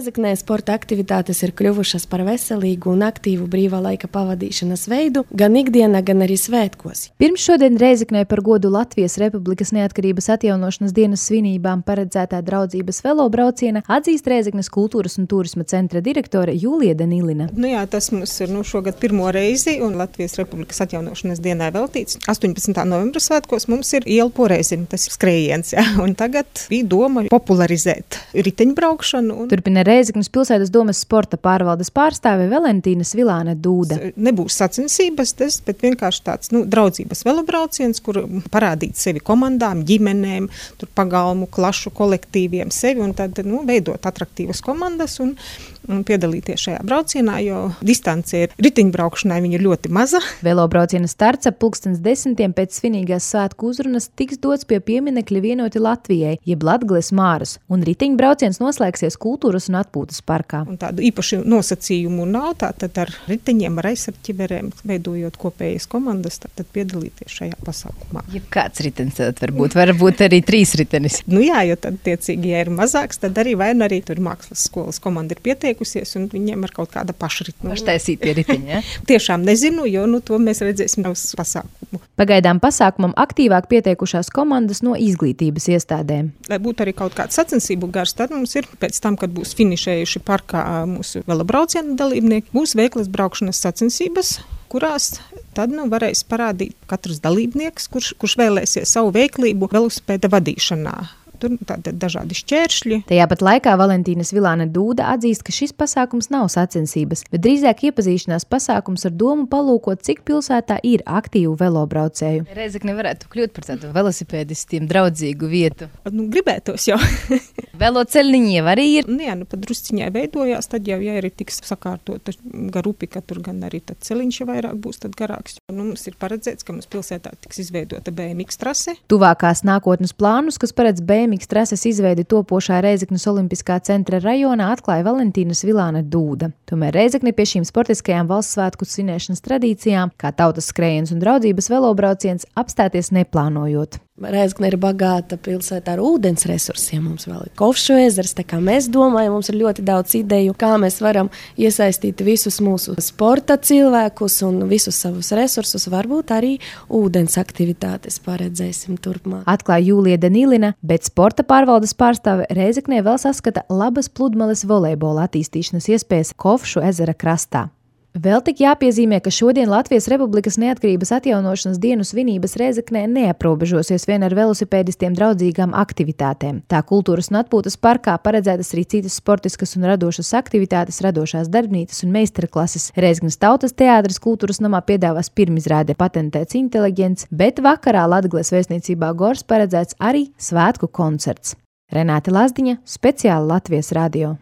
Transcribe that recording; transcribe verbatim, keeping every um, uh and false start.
Rēzeknē sporta aktivitātes ir kļuvušas par veselīgu un aktīvu brīvā laika pavadīšanas veidu gan ikdienā, gan arī svētkos. Pirms šodien Rēzeknē par godu Latvijas Republikas neatkarības atjaunošanas dienas svinībām paredzētā draudzības velobrauciena atzīst Rēzeknes kultūras un turisma centra direktore Jūlija Danilina. Nu jā, tas mums ir nu, šogad pirmo reizi un Latvijas Republikas atjaunošanas dienai veltīts. astoņpadsmitā novembra svētkos mums ir iela poreizina, tas ir skrējiens. Jā. Un tagad bija doma popularizēt riteņbraukšanu. Un... Turpina Rēzeknes pilsētas domas sporta pārvaldes pārstāve Valentīna Svilāne Dūda. Nebūs sacensības, tas, bet vienkārši tāds nu, draudzības velobrauciens, kur parādīt sevi komandām, ģimenēm, tur pagalmu, klašu kolektīviem sevi un tad nu, veidot atraktīvas komandas un, un piedalīties šajā braucienā, jo distance ir riteņbraukšanai viņa ļoti maza. Velobrauciena starts ap pulkstens desmitiem pēc svinīgās svētku uzrunas tiks dots pie pieminekļa Vienoti Latvijai, jeb Latgales Māras, un riteņbrauciens noslēgsies kultūras un atpūtas parkā. Un tādu īpašu nosacījumu nav, tātad ar riteņiem, ar aizsarķiverēm, veidojot kopējas komandas, tātad piedalīties šajā pasākumā. Ja kāds ritenis tad varbūt, varbūt arī trīs ritenis. Nu jā, jo tad tiecīgi, ja ir mazāks, tad arī vai arī tur mākslas skolas komanda ir pieteikusies un viņiem ir kaut kāda pašritma. Paštaisītie riteņi, ja? Tiešām nezinu, jo nu to mēs redzēsim uz pasākumu. Pagaidām pasākumam aktīvāk pieteikušās komandas no izglītības iestādēm. Lai būtu arī kaut kāds sacensību gars, tad mums ir pēc tam, kad būs finišējuši parkā mūsu velobrauciena dalībnieki, būs veiklas braukšanas sacensības, kurās tad nu, varēs parādīt katrs dalībnieks, kurš, kurš vēlēsies savu veiklību velosipēda vadīšanā. Tur tātad dažādi šķēršļi. Tajā pat laikā Valentīna Svilāne Dūda atzīst, ka šis pasākums nav sacensības, bet drīzāk iepazīšanās pasākums ar domu palūkot, cik pilsētā ir aktīvu velobraucēju. Rēzekne varētu kļūt par tādu velosipēdistiem draudzīgu vietu. Nu, gribētos jau. Veloceļniņi jau arī ir. Nu jā, nu pat drusciņai veidojās, tad jau, ja arī tiks sakārtota gar upi, ka tur gan arī tad celiņš vairāk būs tad garāks. Nu, mums ir paredzēts, ka mums pilsētā tiks izveidota B M X trase. Tuvākās nākotnes plānus, kas paredz B M X trases izveidi topošā Rēzeknes olimpiskā centra rajonā, atklāja Valentīna Svilāne Dūda. Tomēr Rēzekne pie šīm sportiskajām valsts svētku svinēšanas tradīcijām, kā tautas skrējiens un draudzības velobrauciens, apstāties neplānojot. Rēzekne ir bagāta pilsēta ar ūdens resursiem. Mums vēl ir Kovšu ezers, tā kā mēs domājam, mums ir ļoti daudz ideju, kā mēs varam iesaistīt visus mūsu sporta cilvēkus un visus savus resursus, varbūt arī ūdens aktivitātes paredzēsim turpmāk. Atklāja Jūlija Danilina, bet sporta pārvaldes pārstāve Rēzeknē vēl saskata labas pludmales volejbola attīstīšanas iespējas Kovšu ezera krastā. Vēl tik jāpiezīmē, ka šodien Latvijas Republikas neatkarības atjaunošanas dienu svinības Rēzeknē neaprobežosies vien ar velosipēdistiem draudzīgām aktivitātēm. Tā kultūras un atpūtas parkā paredzētas arī citas sportiskas un radošas aktivitātes, radošās darbnīcas un meistarklases. Rēzeknes tautas teātris kultūras namā piedāvās pirmizrāde Patentēts inteliģents, bet vakarā Latgales vēstniecībā Gors paredzēts arī svētku koncerts. Renāte Lazdiņa, speciāli Latvijas radio.